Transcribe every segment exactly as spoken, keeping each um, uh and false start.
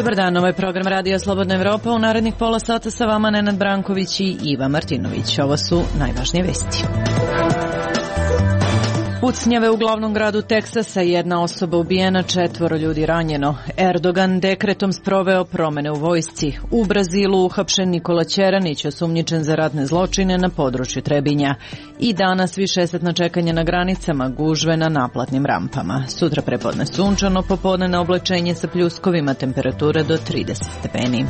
Dobar dan, ovo je program Radija Slobodna Evropa. U narednih pola sata sa vama Nenad Branković i Iva Martinović. Ovo su najvažnije vesti. Pucnjave u glavnom gradu Teksasa, jedna osoba ubijena, četvoro ljudi ranjeno. Erdogan dekretom sproveo promene u vojsci. U Brazilu uhapšen Nikola Ćeranić, osumnjičen za ratne zločine na području Trebinja. I danas višesatna čekanja na granicama, gužve na naplatnim rampama. Sutra prepodne sunčano, popodne na oblačenje sa pljuskovima, temperature do trideset stepeni.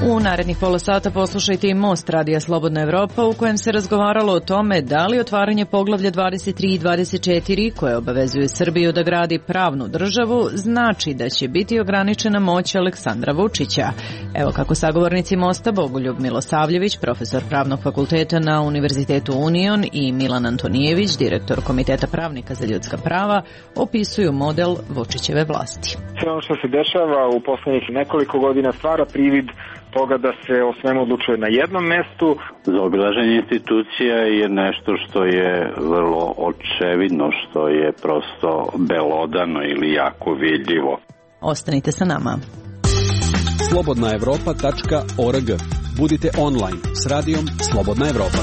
U narednih pola sata poslušajte i Most Radija Slobodna Evropa, u kojem se razgovaralo o tome da li otvaranje poglavlja dvadeset tri i dvadeset četiri, koje obavezuje Srbiju da gradi pravnu državu, znači da će biti ograničena moć Aleksandra Vučića. Evo kako sagovornici Mosta Bogoljub Milosavljević, profesor Pravnog fakulteta na Univerzitetu Union, i Milan Antonijević, direktor Komiteta pravnika za ljudska prava, opisuju model Vučićeve vlasti. Sve ono što se dešava u poslednjih nekoliko godina stvara privid toga da se o svemu odlučuje na jednom mestu. Zaobilaženje institucija je nešto što je vrlo očevidno, što je prosto belodano ili jako vidljivo. Ostanite sa nama. slobodna evropa tačka org. Budite online s radijom Slobodna Evropa.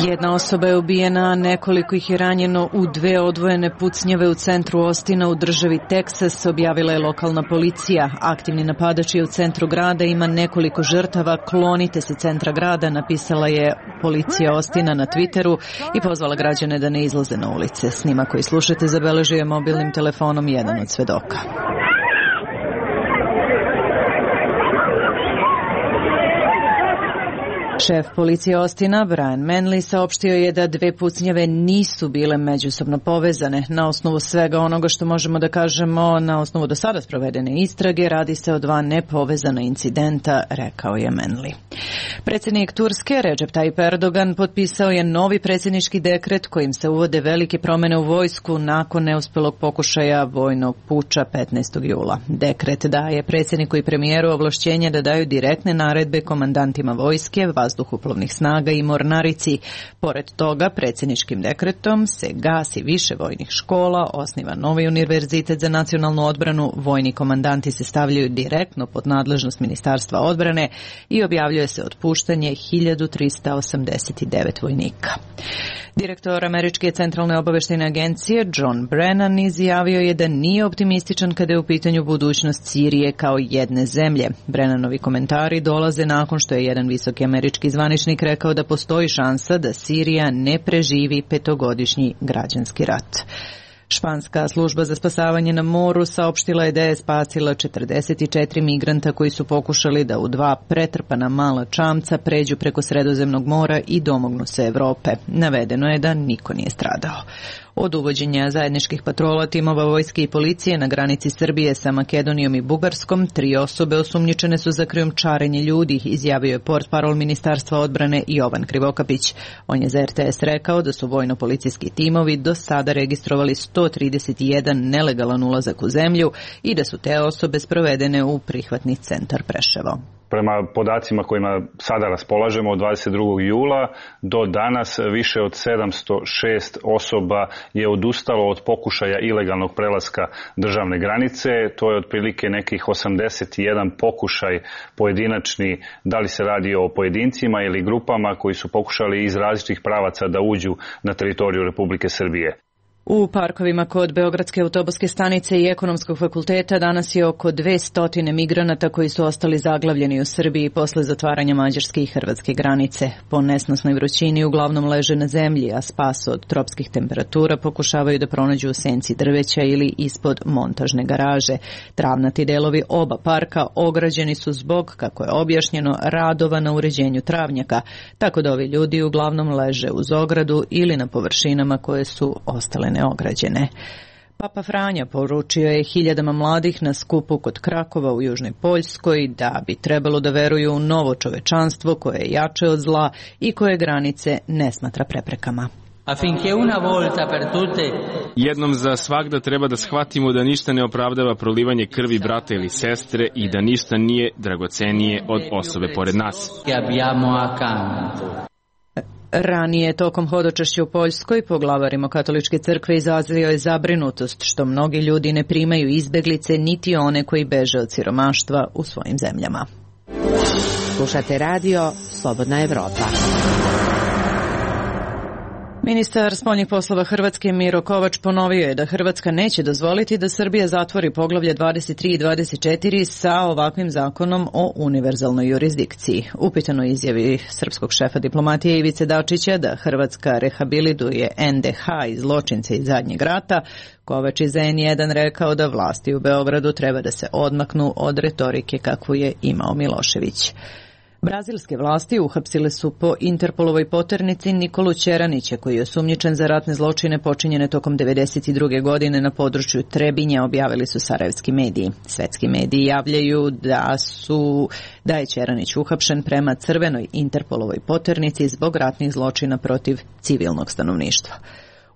Jedna osoba je ubijena, a nekoliko ih je ranjeno u dve odvojene pucnjave u centru Ostina u državi Teksas, objavila je lokalna policija. Aktivni napadač je u centru grada, ima nekoliko žrtava, klonite se centra grada, napisala je policija Ostina na Twitteru i pozvala građane da ne izlaze na ulice. Snimak koji slušate zabeležio je mobilnim telefonom jedan od svedoka. Šef policije Ostina, Brian Manley, saopštio je da dve pucnjave nisu bile međusobno povezane. Na osnovu svega onoga što možemo da kažemo, na osnovu do sada sprovedene istrage, radi se o dva nepovezana incidenta, rekao je Manley. Predsjednik Turske, Recep Tayyip Erdogan, potpisao je novi predsjednički dekret kojim se uvode velike promene u vojsku nakon neuspelog pokušaja vojnog puča petnaestog jula. Dekret daje predsjedniku i premijeru ovlašćenje da daju direktne naredbe komandantima vojske, vazduhoplovnih snaga i mornarici. Pored toga, predsjedničkim dekretom se gasi više vojnih škola, osniva novi univerzitet za nacionalnu odbranu, vojni komandanti se stavljaju direktno pod nadležnost Ministarstva odbrane i objavljuje se otpuštanje hiljadu trista osamdeset devet vojnika. Direktor Američke centralne obaveštajne agencije John Brennan izjavio je da nije optimističan kada je u pitanju budućnost Sirije kao jedne zemlje. Brennanovi komentari dolaze nakon što je jedan visoki američki zvaničnik rekao da postoji šansa da Sirija ne preživi petogodišnji građanski rat. Španska služba za spasavanje na moru saopštila je da je spasila četrdeset četiri migranta koji su pokušali da u dva pretrpana mala čamca pređu preko Sredozemnog mora i domognu se Evrope. Navedeno je da niko nije stradao. Od uvođenja zajedničkih patrola timova vojske i policije na granici Srbije sa Makedonijom i Bugarskom, tri osobe osumnjičene su za krijumčarenje ljudi, izjavio je portparol Ministarstva odbrane Jovan Krivokapić. On je za er te es rekao da su vojno-policijski timovi do sada registrovali sto trideset jedan nelegalan ulazak u zemlju i da su te osobe sprovedene u prihvatni centar Preševo. Prema podacima kojima sada raspolažemo od dvadeset drugog jula do danas više od sedamsto šest osoba je odustalo od pokušaja ilegalnog prelaska državne granice. To je otprilike nekih osamdeset jedan pokušaj pojedinačni, da li se radi o pojedincima ili grupama koji su pokušali iz različitih pravaca da uđu na teritoriju Republike Srbije. U parkovima kod Beogradske autobuske stanice i Ekonomskog fakulteta danas je oko dvesta migranata koji su ostali zaglavljeni u Srbiji posle zatvaranja mađarske i hrvatske granice. Po nesnosnoj vrućini uglavnom leže na zemlji, a spas od tropskih temperatura pokušavaju da pronađu u senci drveća ili ispod montažne garaže. Travnati delovi oba parka ograđeni su zbog, kako je objašnjeno, radova na uređenju travnjaka, tako da ovi ljudi uglavnom leže uz ogradu ili na površinama koje su ostale neograđene. Papa Franja poručio je hiljadama mladih na skupu kod Krakova u Južnoj Poljskoj da bi trebalo da veruju u novo čovečanstvo koje je jače od zla i koje granice ne smatra preprekama. Jednom za svagda treba da shvatimo da ništa ne opravdava prolivanje krvi brata ili sestre i da ništa nije dragocenije od osobe pored nas. Ranije, tokom hodočašća u Poljskoj, poglavar Rimokatoličke crkve izrazio je zabrinutost što mnogi ljudi ne primaju izbeglice niti one koji beže od siromaštva u svojim zemljama. Slušate radio Slobodna Evropa. Ministar spoljnih poslova Hrvatske Miro Kovač ponovio je da Hrvatska neće dozvoliti da Srbija zatvori poglavlje dvadeset tri i dvadeset četiri sa ovakvim zakonom o univerzalnoj jurisdikciji. Upitano izjavi srpskog šefa diplomatije Ivice Dačića da Hrvatska rehabilituje en de ha i zločince iz zadnjeg rata, Kovač iz en jedan rekao da vlasti u Beogradu treba da se odmaknu od retorike kakvu je imao Milošević. Brazilske vlasti uhapsile su po Interpolovoj poternici Nikolu Ćeranića, koji je osumnjičen za ratne zločine počinjene tokom devedeset druge godine na području Trebinja, objavili su sarajevski mediji. Svetski mediji javljaju da su da je Ćeranić uhapšen prema crvenoj Interpolovoj poternici zbog ratnih zločina protiv civilnog stanovništva.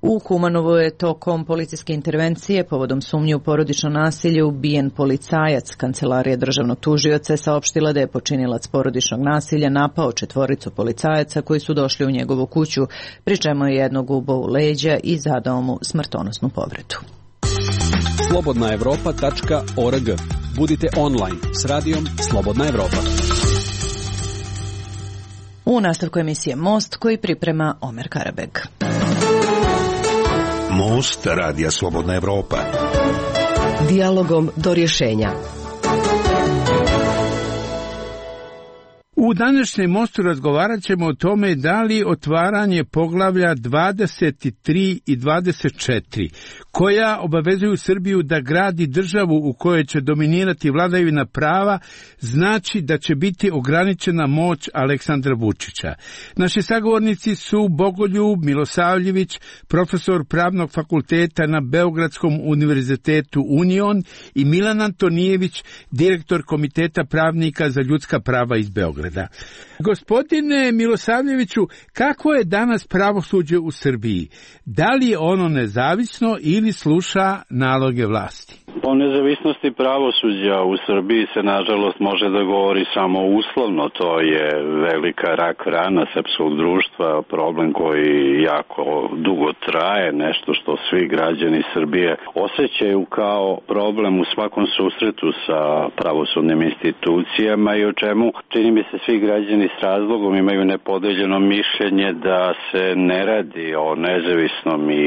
U Kumanovu je tokom policijske intervencije povodom sumnje u porodično nasilje ubijen policajac. Kancelarija državnog tužioca je saopštila da je počinilac porodičnog nasilja napao četvoricu policajaca koji su došli u njegovu kuću, pri čemu je jednog ubao u leđa i zadao mu smrtonosnu povredu. slobodna evropa tačka org. Budite online s radijom Slobodna Evropa. U nastavku emisije Most koji priprema Omer Karabeg. Most radija Slobodna Evropa. Dijalogom do rješenja. U današnjem Mostu razgovarat ćemo o tome da li otvaranje poglavlja dvadeset tri i dvadeset četiri, koja obavezuju Srbiju da gradi državu u kojoj će dominirati vladavina prava, znači da će biti ograničena moć Aleksandra Vučića. Naši sagovornici su Bogoljub Milosavljević, profesor Pravnog fakulteta na Beogradskom univerzitetu Union, i Milan Antonijević, direktor Komiteta pravnika za ljudska prava iz Beograda. Gospodine Milosavljeviću, kako je danas pravosuđe u Srbiji? Da li je ono nezavisno ili sluša naloge vlasti? O nezavisnosti pravosuđa u Srbiji se nažalost može da govori samo uslovno. To je velika rak rana srpskog društva, problem koji jako dugo traje, nešto što svi građani Srbije osjećaju kao problem u svakom susretu sa pravosudnim institucijama i o čemu, čini mi se, svi građani s razlogom imaju nepodeljeno mišljenje da se ne radi o nezavisnom i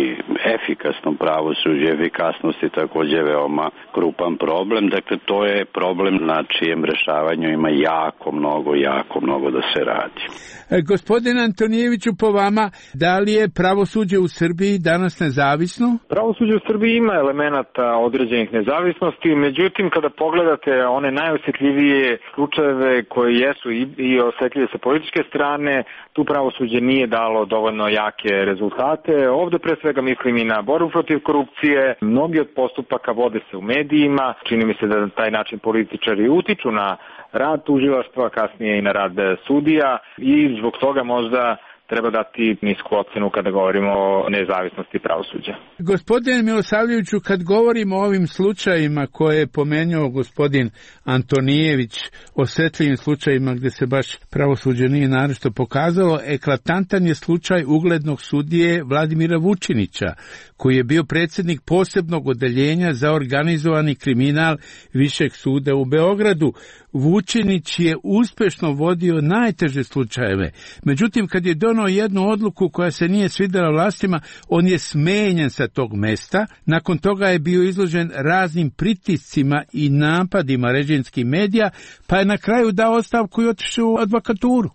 efikasnom pravosuđu. Efikasnost je takođe veoma krupan problem, dakle to je problem na čijem rešavanju ima jako mnogo, jako mnogo da se radi. E, gospodine Antonijeviću, po vama, da li je pravosuđe u Srbiji danas nezavisno? Pravosuđe u Srbiji ima elemenata određenih nezavisnosti, međutim kada pogledate one najosjetljivije slučajeve koji jesu i, i osjetljive sa političke strane, tu pravosuđe nije dalo dovoljno jake rezultate. Ovde pre svega mislim i na borbu protiv korupcije, mnogi od postupaka vode se u medijima, čini mi se da na taj način političari utiču na rad tužilaštva, kasnije i na rad sudija, i zbog toga možda treba dati nisku ocenu kada govorimo o nezavisnosti pravosuđa. Gospodine Milosavljeviću, kad govorimo o ovim slučajima koje je pomenuo gospodin Antonijević, osjetljivim slučajima gdje se baš pravosuđe nije naročito pokazalo, eklatantan je slučaj uglednog sudije Vladimira Vučinića, koji je bio predsjednik posebnog odeljenja za organizovani kriminal Višeg suda u Beogradu. Vučinić je uspješno vodio najteže slučajeve. Međutim, kad je donio jednu odluku koja se nije svidjela vlastima, on je smenjen sa tog mesta. Nakon toga je bio izložen raznim pritiscima i napadima režimskih medija, pa je na kraju dao ostavku i otišao u advokaturu.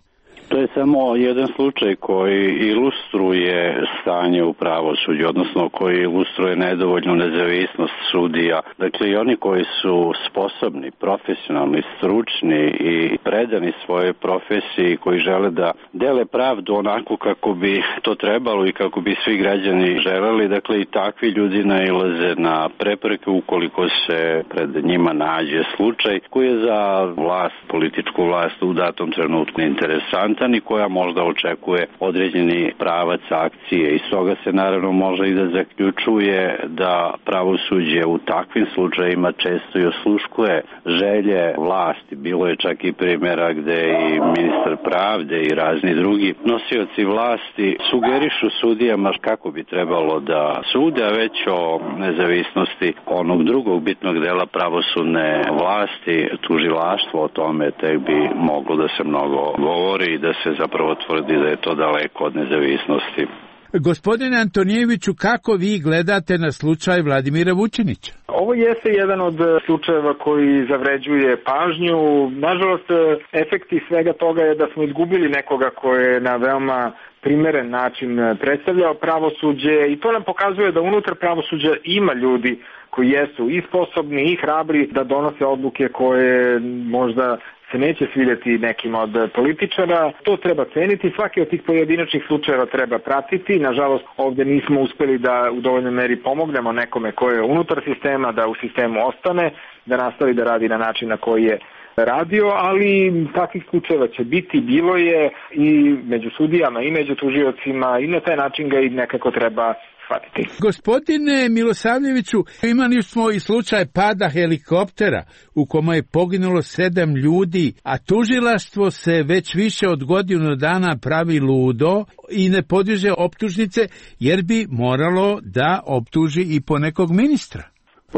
To je samo jedan slučaj koji ilustruje stanje u pravosuđu, odnosno koji ilustruje nedovoljnu nezavisnost sudija. Dakle, i oni koji su sposobni, profesionalni, stručni i predani svojoj profesiji, koji žele da dele pravdu onako kako bi to trebalo i kako bi svi građani želeli, dakle i takvi ljudi nailaze na prepreke ukoliko se pred njima nađe slučaj koji je za vlast, političku vlast u datom trenutku interesantan. konstantan i koja možda očekuje određeni pravac akcije. Iz toga se naravno može i da zaključuje da pravosuđe u takvim slučajima često i osluškuje želje vlasti. Bilo je čak i primjera gde i ministar pravde i razni drugi nosioci vlasti sugerišu sudijama kako bi trebalo da sude, a već o nezavisnosti onog drugog bitnog dela pravosudne vlasti, tužilaštvo, o tome tek bi moglo da se mnogo govori i da se zapravo tvrdi da je to daleko od nezavisnosti. Gospodine Antonijeviću, kako vi gledate na slučaj Vladimira Vučinića? Ovo jeste jedan od slučajeva koji zavređuje pažnju. Nažalost, efekti svega toga je da smo izgubili nekoga ko je na veoma primeren način predstavljao pravosuđe i to nam pokazuje da unutar pravosuđa ima ljudi koji jesu i sposobni i hrabri da donose odluke koje možda se neće svidjeti nekim od političara. To treba ceniti, svaki od tih pojedinačnih slučajeva treba pratiti. Nažalost, ovdje nismo uspeli da u dovoljnoj meri pomognemo nekome ko je unutar sistema, da u sistemu ostane, da nastavi da radi na način na koji je radio, ali takvih slučajeva će biti, bilo je i među sudijama i među tužiocima i na taj način ga i nekako treba shvatiti. Gospodine Milosavljeviću, imali smo i slučaj pada helikoptera u kome je poginulo sedam ljudi, a tužilaštvo se već više od godinu dana pravi ludo i ne podiže optužnice jer bi moralo da optuži i po nekog ministra.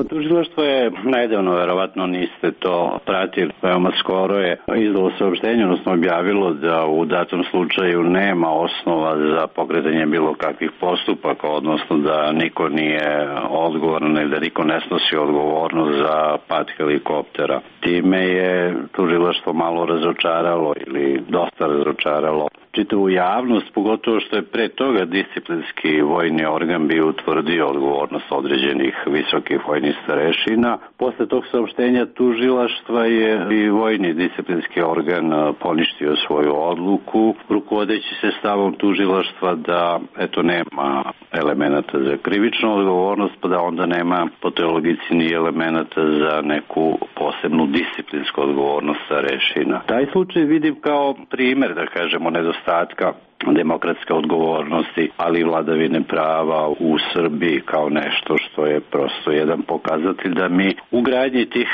Tužilaštvo je najdavno, verovatno niste to pratili, veoma skoro je izdalo saopštenje, odnosno objavilo da u datom slučaju nema osnova za pokretanje bilo kakvih postupaka, odnosno da niko nije odgovoran ili da niko ne snosi odgovornost za pad helikoptera. Time je tužilaštvo malo razočaralo ili dosta razočaralo čitavu javnost, pogotovo što je pre toga disciplinski vojni organ bio utvrdio odgovornost određenih visokih vojnih starešina. Posle tog saopštenja tužilaštva je i vojni disciplinski organ poništio svoju odluku, rukovodeći se stavom tužilaštva da eto nema elemenata za krivičnu odgovornost, pa da onda nema po toj logici ni elemenata za neku posebnu disciplinsku odgovornost starešina. Taj slučaj vidim kao primer, da kažemo, nedostatka demokratske odgovornosti, ali i vladavine prava u Srbiji kao nešto što je prosto jedan pokazatelj da mi u gradnji tih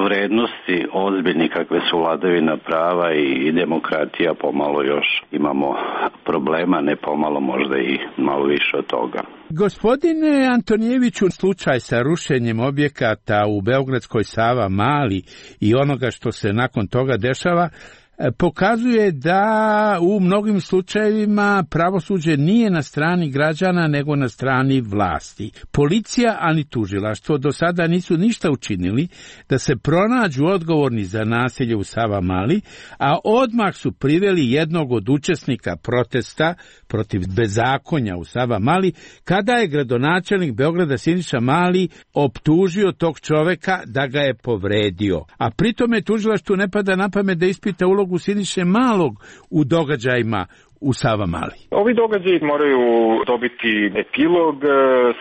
vrednosti ozbiljni kakve su vladavina prava i demokratija pomalo još imamo problema, ne pomalo, možda i malo više od toga. Gospodine Antonijeviću, slučaj sa rušenjem objekata u Beogradskoj Sava Mali i onoga što se nakon toga dešava pokazuje da u mnogim slučajevima pravosuđe nije na strani građana nego na strani vlasti. Policija, ali tužilaštvo do sada nisu ništa učinili da se pronađu odgovorni za nasilje u Savamali, a odmah su priveli jednog od učesnika protesta protiv bezakonja u Savamali, kada je gradonačelnik Beograda Siniša Mali optužio tog čoveka da ga je povredio. A pritome tužilaštvu ne pada na pamet da ispita ulogu Siniše Malog u događajima u Savamali. Ovi događaji moraju dobiti epilog.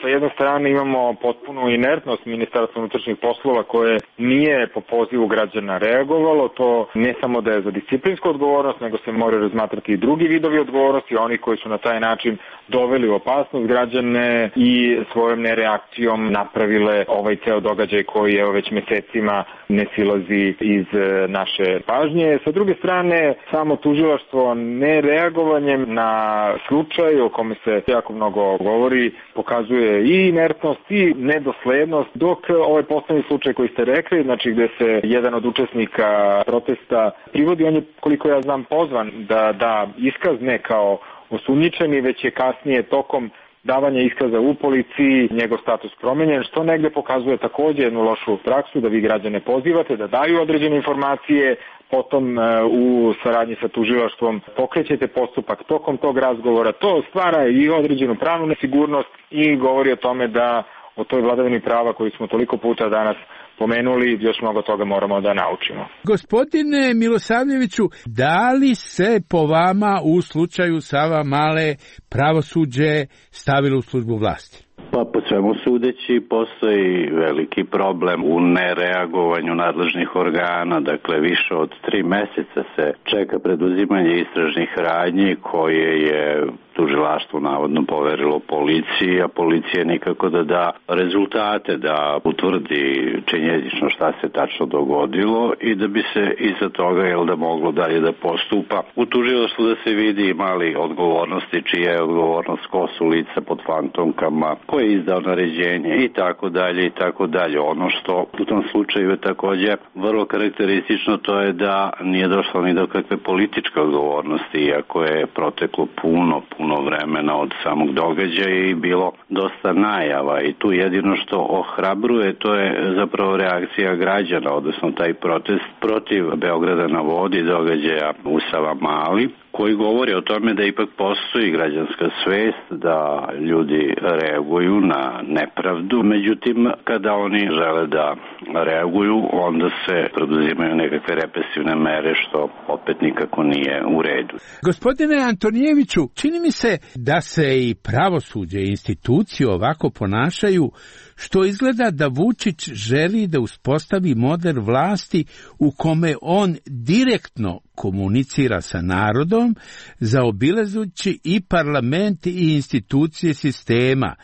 Sa jedne strane imamo potpunu inertnost Ministarstva unutrašnjih poslova koje nije po pozivu građana reagovalo. To ne samo da je za disciplinsku odgovornost, nego se moraju razmatrati i drugi vidovi odgovornosti, oni koji su na taj način doveli u opasnost građane i svojom nereakcijom napravile ovaj ceo događaj koji je već mesecima ne silazi iz naše pažnje. Sa druge strane, samo tužilaštvo ne reagovalo na slučaj o kome se jako mnogo govori, pokazuje i inertnost i nedoslednost, dok ovaj poslednji slučaj koji ste rekli, znači gde se jedan od učesnika protesta privodi, on je, koliko ja znam, pozvan da da iskaz ne kao osumnjičeni, već je kasnije tokom davanja iskaza u policiji njegov status promenjen, što negde pokazuje takođe jednu lošu praksu da vi građane pozivate da daju određene informacije, potom u saradnji sa tužilaštvom pokrećete postupak tokom tog razgovora. To stvara i određenu pravnu nesigurnost i govori o tome da o toj vladavini prava koju smo toliko puta danas pomenuli, još mnogo toga moramo da naučimo. Gospodine Milosavljeviću, da li se po vama u slučaju Savamale pravosuđe stavilo u službu vlasti? Pa po svemu sudeći postoji veliki problem u nereagovanju nadležnih organa, dakle više od tri meseca se čeka preduzimanje istražnih radnji koje je tužilaštvo navodno poverilo policiji, a policija nikako da da rezultate, da utvrdi činjenično šta se tačno dogodilo i da bi se iza toga jel da moglo dalje da postupa. U tužilaštvu da se vidi mali odgovornosti, čija je odgovornost, ko su lica pod fantomkama, ko je izdao naređenje i tako dalje i tako dalje. Ono što u tom slučaju je također vrlo karakteristično, to je da nije došlo ni do kakve političke odgovornosti, iako je proteklo puno, puno vremena od samog događaja i bilo dosta najava i tu jedino što ohrabruje to je zapravo reakcija građana, odnosno taj protest protiv Beograda na vodi, događaja u Savamali, koji govori o tome da ipak postoji građanska svest, da ljudi reaguju na nepravdu. Međutim, kada oni žele da reaguju, onda se preduzimaju nekakve represivne mere, što opet nikako nije u redu. Gospodine Antonijeviću, čini mi se da se i pravosuđe i institucije ovako ponašaju, što izgleda da Vučić želi da uspostavi model vlasti u kome on direktno komunicira sa narodom, zaobilazući i parlament i institucije sistema.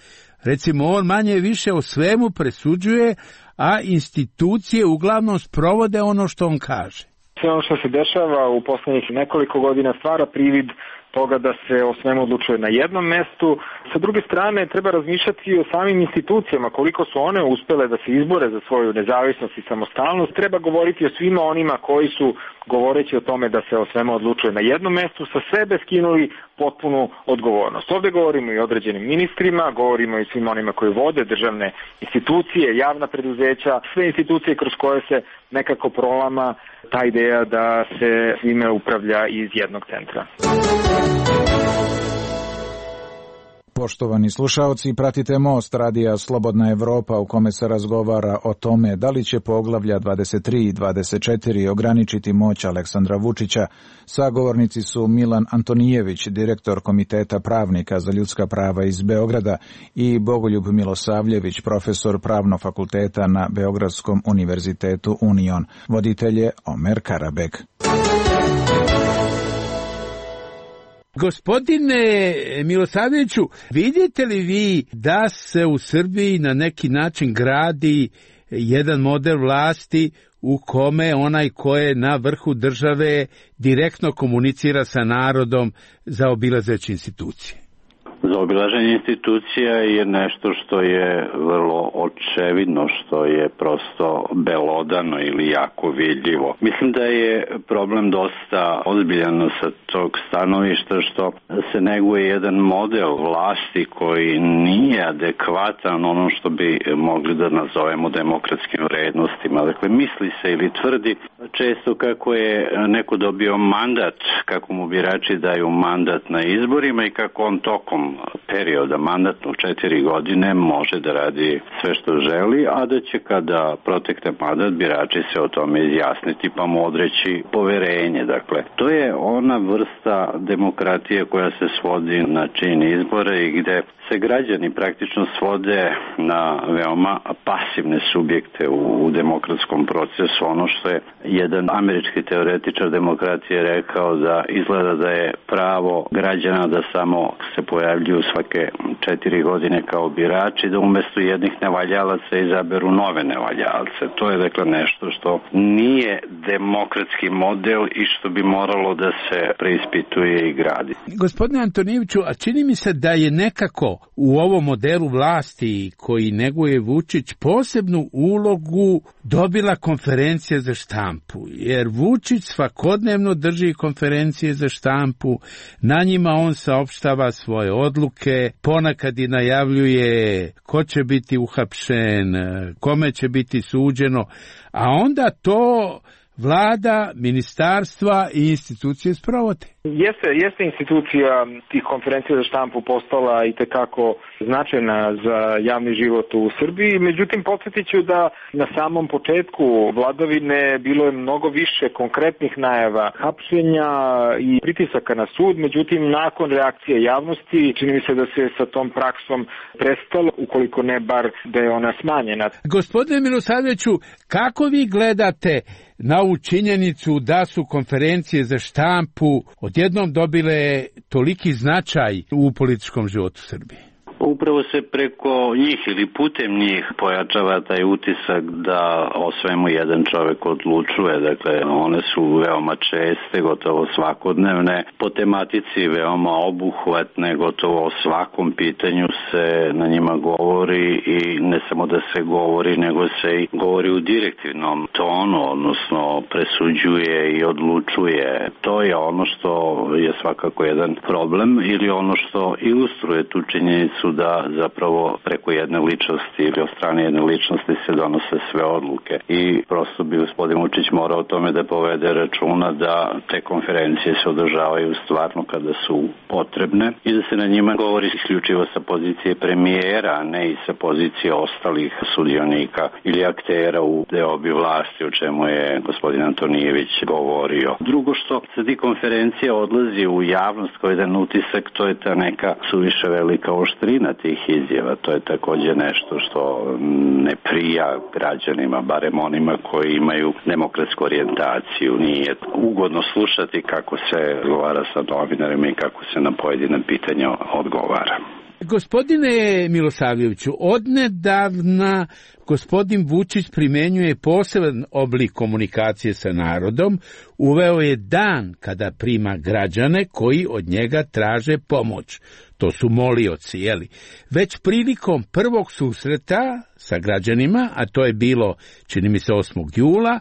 Recimo, on manje više o svemu presuđuje, a institucije uglavnom sprovode ono što on kaže. Sve ono što se dešava u poslednjih nekoliko godina stvara privid toga da se o svemu odlučuje na jednom mestu. Sa druge strane, treba razmišljati i o samim institucijama, koliko su one uspele da se izbore za svoju nezavisnost i samostalnost. Treba govoriti o svima onima koji su, govoreći o tome da se o svemu odlučuje na jednom mestu, sa sebe skinuli potpunu odgovornost. Ovde govorimo i o određenim ministrima, govorimo i svima onima koji vode državne institucije, javna preduzeća, sve institucije kroz koje se nekako prolama ta ideja da se svime upravlja iz jednog centra. Poštovani slušaoci, pratite Most radija Slobodna Evropa u kome se razgovara o tome da li će poglavlja dvadeset tri i dvadeset četiri ograničiti moć Aleksandra Vučića. Sagovornici su Milan Antonijević, direktor Komiteta pravnika za ljudska prava iz Beograda, i Bogoljub Milosavljević, profesor Pravnog fakulteta na Beogradskom univerzitetu Union. Voditelj je Omer Karabek. Gospodine Milosavljeviću, vidite li vi da se u Srbiji na neki način gradi jedan model vlasti u kome onaj ko je na vrhu države direktno komunicira sa narodom zaobilazeći institucije? Zaobilaženje institucija je nešto što je vrlo očevidno, što je prosto belodano ili jako vidljivo. Mislim da je problem dosta ozbiljan sa tog stanovišta, što se neguje jedan model vlasti koji nije adekvatan ono što bi mogli da nazovemo demokratskim vrednostima. Dakle, misli se ili tvrdi često kako je neko dobio mandat, kako mu birači daju mandat na izborima i kako on tokom perioda mandatnog četiri godine može da radi sve što želi, a da će kada protekne mandat birači se o tome izjasniti pa mu odreći poverenje. Dakle, to je ona vrsta demokratije koja se svodi na čin izbora i gde se građani praktično svode na veoma pasivne subjekte u, u demokratskom procesu. Ono što je jedan američki teoretičar demokratije rekao, da izgleda da je pravo građana da samo se pojavljuju svake četiri godine kao birači, da umesto jednih nevaljalaca izaberu nove nevaljalce. To je dakle nešto što nije demokratski model i što bi moralo da se preispituje i gradi. Gospodine Antonijeviću, a čini mi se da je nekako u ovom modelu vlasti koji neguje Vučić posebnu ulogu dobila konferencija za štampu, jer Vučić svakodnevno drži konferencije za štampu, na njima on saopštava svoje odluke, ponekad i najavljuje ko će biti uhapšen, kome će biti suđeno, a onda to vlada, ministarstva i institucije sprovode. Jeste, jeste institucija tih konferencija za štampu postala i tekako značajna za javni život u Srbiji, međutim podsjetit ću da na samom početku vladavine bilo je mnogo više konkretnih najava hapšenja i pritisaka na sud, međutim nakon reakcije javnosti čini mi se da se sa tom praksom prestalo, ukoliko ne bar da je ona smanjena. Gospodine Milosavljeviću, kako vi gledate na ovu činjenicu da su konferencije za štampu odjednom dobile toliki značaj u političkom životu Srbije? Upravo se preko njih ili putem njih pojačava taj utisak da o svemu jedan čovjek odlučuje. Dakle, one su veoma česte, gotovo svakodnevne, po tematici veoma obuhvatne, gotovo o svakom pitanju se na njima govori i ne samo da se govori, nego se i govori u direktivnom tonu, odnosno presuđuje i odlučuje. To je ono što je svakako jedan problem ili ono što ilustruje tu činjenicu da zapravo preko jedne ličnosti ili od strane jedne ličnosti se donose sve odluke. I prosto bi gospodin Vučić morao o tome da povede računa da te konferencije se održavaju stvarno kada su potrebne i da se na njima govori isključivo sa pozicije premijera, a ne i sa pozicije ostalih sudionika ili aktera u deobi vlasti, o čemu je gospodin Antonijević govorio. Drugo što sa ti konferencije odlazi u javnost kao jedan utisak, to je ta neka suviše velika oštrina tih izjava. To je također nešto što ne prija građanima, barem onima koji imaju demokratsku orijentaciju. Nije ugodno slušati kako se govara sa novinarima i kako se na pojedina pitanja odgovara. Gospodine Milosavljeviću, odnedavna gospodin Vučić primenjuje poseban oblik komunikacije sa narodom, uveo je dan kada prima građane koji od njega traže pomoć. To su molioci, jeli? Već prilikom prvog susreta sa građanima, a to je bilo, čini mi se, osmog jula,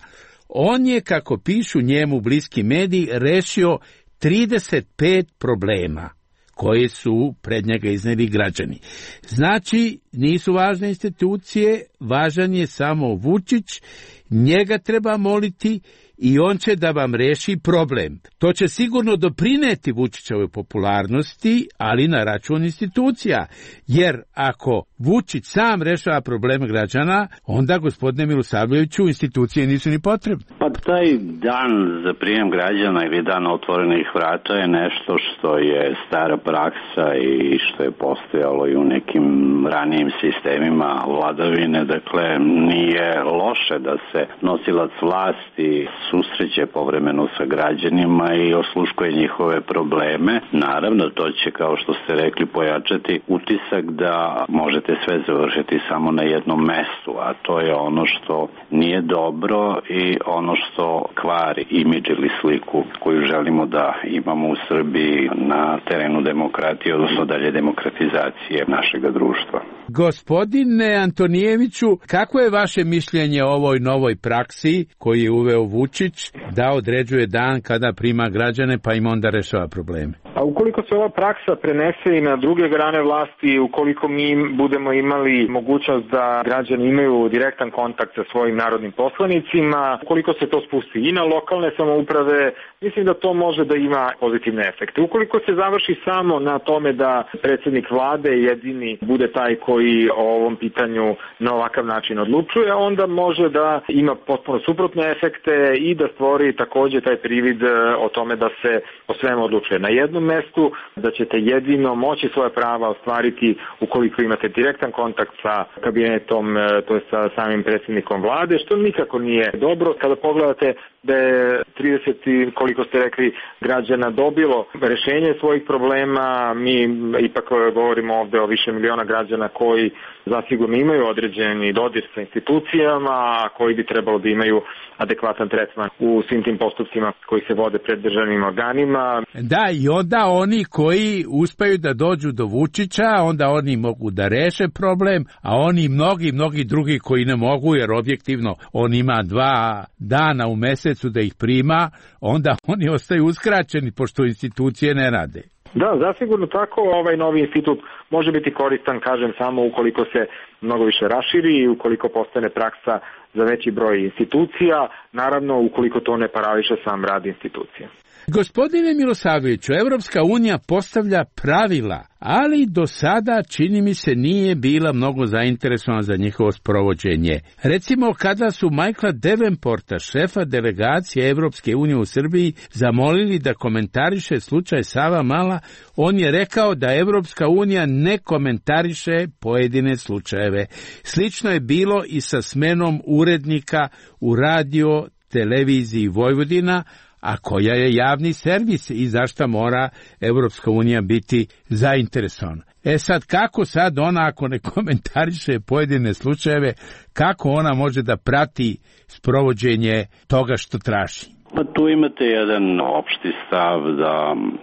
on je, kako pišu njemu bliski mediji, rešio trideset pet problema koje su pred njega izneli građani. Znači, nisu važne institucije, važan je samo Vučić, njega treba moliti i on će da vam reši problem. To će sigurno doprineti Vučićevoj popularnosti, ali na račun institucija, jer ako Vučić sam rešava probleme građana, onda, gospodine Milosavljeviću, institucije nisu ni potrebne. Pa taj dan za prijem građana ili dan otvorenih vrata je nešto što je stara praksa i što je postojalo i u nekim ranijim sistemima vladavine. Dakle, nije loše da se nosilac vlasti susreće povremeno sa građanima i osluškuje njihove probleme. Naravno, to će, kao što ste rekli, pojačati utisak da možete sve završiti samo na jednom mestu, a to je ono što nije dobro i ono što kvari imidž ili sliku koju želimo da imamo u Srbiji na terenu demokratije, odnosno dalje demokratizacije našega društva. Gospodine Antonijeviću, kako je vaše mišljenje o ovoj novoj praksi koju je uveo Vučić, da određuje dan kada prima građane pa im onda rešava probleme? A ukoliko se ova praksa prenese i na druge grane vlasti, ukoliko mi budemo imali mogućnost da građani imaju direktan kontakt sa svojim narodnim poslanicima, ukoliko se to spusti i na lokalne samouprave, mislim da to može da ima pozitivne efekte. Ukoliko se završi samo na tome da predsjednik vlade jedini bude taj koji o ovom pitanju na ovakav način odlučuje, onda može da ima potpuno suprotne efekte i da stvori također taj privid o tome da se o svemu odlučuje na jednom mestu, da ćete jedino moći svoje prava ostvariti ukoliko imate direktan kontakt sa kabinetom, to je sa samim predsjednikom vlade, što nikako nije dobro. Kada pogledate da je trideset, koliko ste rekli, građana dobilo rešenje svojih problema, mi ipak govorimo ovde o više miliona građana koji zasigurno imaju određeni dodir sa institucijama, a koji bi trebalo da imaju adekvatan tretman u svim tim postupcima koji se vode pred državnim organima. Da, i onda oni koji uspeju da dođu do Vučića, onda oni mogu da reše problem, a oni mnogi, mnogi drugi koji ne mogu, jer objektivno on ima dva dana u mesecu da ih prima, onda oni ostaju uskraćeni pošto institucije ne rade. Da, zasigurno tako. Ovaj novi institut može biti koristan, kažem, samo ukoliko se mnogo više raširi i ukoliko postane praksa za veći broj institucija, naravno ukoliko to ne parališe sam rad institucija. Gospodine Milosavljeviću, Evropska unija postavlja pravila, ali do sada, čini mi se, nije bila mnogo zainteresovana za njihovo sprovođenje. Recimo, kada su Michaela Davenporta, šefa delegacije Evropske unije u Srbiji, zamolili da komentariše slučaj Savamala, on je rekao da Evropska unija ne komentariše pojedine slučajeve. Slično je bilo i sa smenom urednika u radio televiziji Vojvodina, a koja je javni servis i zašto mora Evropska unija biti zainteresovana. E sad, kako sad ona, ako ne komentariše pojedine slučajeve, kako ona može da prati sprovođenje toga što traži? Pa tu imate jedan opšti stav da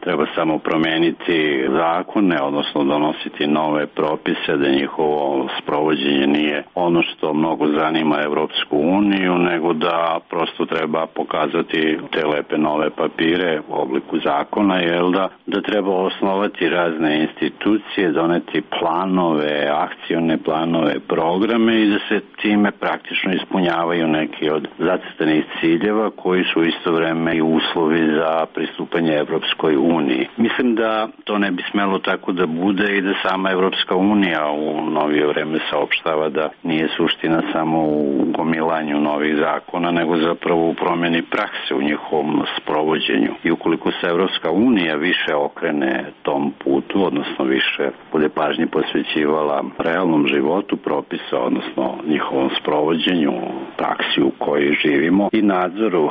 treba samo promeniti zakone, odnosno donositi nove propise, da njihovo sprovođenje nije ono što mnogo zanima Evropsku uniju, nego da prosto treba pokazati te lepe nove papire u obliku zakona, jel da, da treba osnovati razne institucije, doneti planove, akcione planove, programe i da se time praktično ispunjavaju neki od zacrtanih ciljeva koji su isto vreme i uslovi za pristupanje Evropskoj uniji. Mislim da to ne bi smelo tako da bude i da sama Evropska unija u novije vreme saopštava da nije suština samo u gomilanju novih zakona, nego zapravo u promjeni prakse u njihovom sprovođenju. I ukoliko se Evropska unija više okrene tom putu, odnosno više bude pažnje posvećivala realnom životu propisa, odnosno njihovom sprovođenju, praksi u kojoj živimo i nadzoru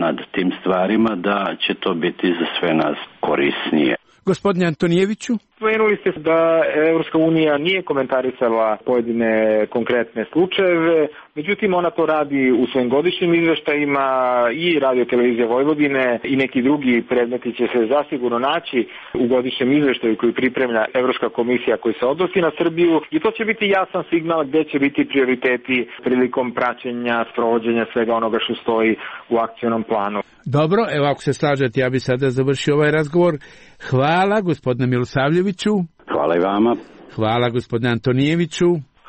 nad tim stvarima, da će to biti za sve nas korisnije. Gospodine Antonijeviću? Spomenuli ste da Evropska unija nije komentarisala pojedine konkretne slučajeve, međutim ona to radi u svojim godišnjim izveštajima i Radio televizija Vojvodine i neki drugi predmeti će se zasigurno naći u godišnjem izveštaju koji pripremlja Evropska komisija koji se odnosi na Srbiju i to će biti jasan signal gde će biti prioriteti prilikom praćenja, sprovođenja svega onoga što stoji u akcionom planu. Dobro, evo ako se slažete, ja bi sada završio ovaj razgovor. Hvala gospodine Milosavljeviću. Hvala i vama. Hvala gospodine Antonijeviću.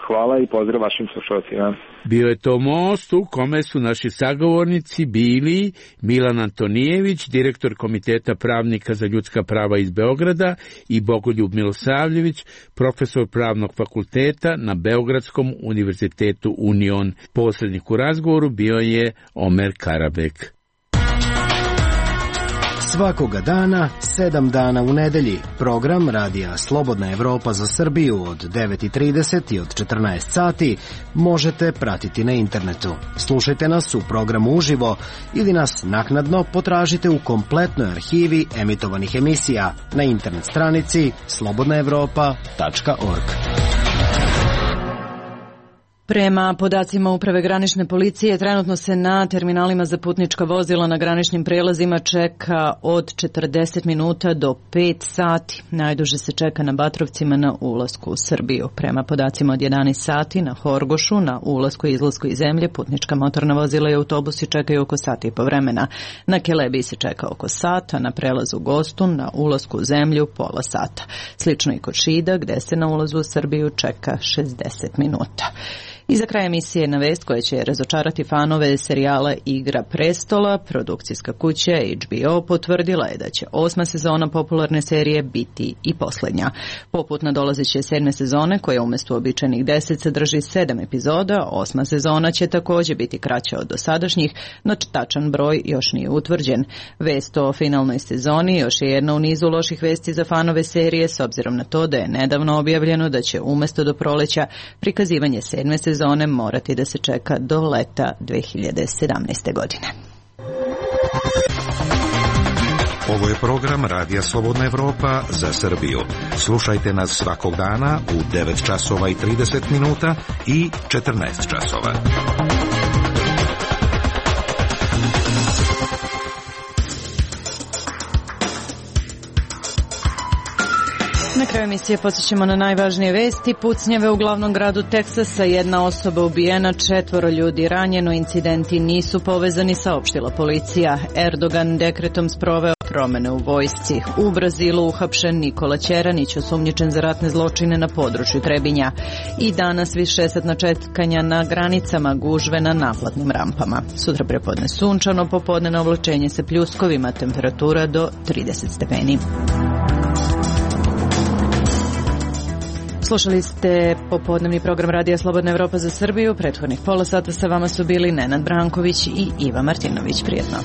Hvala i pozdrav vašim slušalcima. Bio je to most u kome su naši sagovornici bili Milan Antonijević, direktor Komiteta pravnika za ljudska prava iz Beograda, i Bogoljub Milosavljević, profesor pravnog fakulteta na Beogradskom univerzitetu Union. Posrednik u razgovoru bio je Omer Karabek. Svakoga dana, sedam dana u nedelji, program Radija Slobodna Evropa za Srbiju od devet i trideset i od četrnaest sati možete pratiti na internetu. Slušajte nas u programu uživo ili nas naknadno potražite u kompletnoj arhivi emitovanih emisija na internet stranici slobodna evropa tačka org. Prema podacima Uprave granične policije, trenutno se na terminalima za putnička vozila na graničnim prelazima čeka od četrdeset minuta do pet sati. Najduže se čeka na Batrovcima na ulasku u Srbiju. Prema podacima od jedanaest sati na Horgošu, na ulasku i izlasku iz zemlje, putnička motorna vozila i autobusi čekaju oko sata i po vremena. Na Kelebiji se čeka oko sata, na prelazu Gostun, na ulasku u zemlju pola sata. Slično i kod Šida, gde se na ulazu u Srbiju čeka šezdeset minuta. I za kraj emisije na vest koja će razočarati fanove serijala Igra prestola, produkcijska kuća H B O potvrdila je da će osma sezona popularne serije biti i posljednja. Poput nadolazeće sedme sezone, koja umjesto uobičajenih deset sadrži sedam epizoda, osma sezona će također biti kraća od dosadašnjih, no tačan broj još nije utvrđen. Vest o finalnoj sezoni još je jedna u nizu loših vesti za fanove serije, s obzirom na to da je nedavno objavljeno da će umjesto do proleća prikazivanje sedme sezone zone morati da se čeka do leta dve hiljade sedamnaeste. godine. Ovo je program Radija Slobodna Evropa za Srbiju. Slušajte nas svakog dana u devet časova i trideset minuta i četrnaest časova. Na kraju emisije podsjećamo na najvažnije vesti. Pucnjave u glavnom gradu Teksasa, jedna osoba ubijena, četvoro ljudi ranjeno, incidenti nisu povezani, saopštila policija. Erdogan dekretom sproveo promene u vojsci. U Brazilu uhapšen Nikola Ćeranić, osumnjičen za ratne zločine na području Trebinja. I danas višesatna čekanja na granicama, gužve na naplatnim rampama. Sutra prepodne sunčano, popodne na oblačenje sa pljuskovima, temperatura do trideset stepeni. Slušali ste popodnevni program Radija Slobodna Evropa za Srbiju. Prethodnih pola sata sa vama su bili Nenad Branković i Iva Martinović. Prijetno.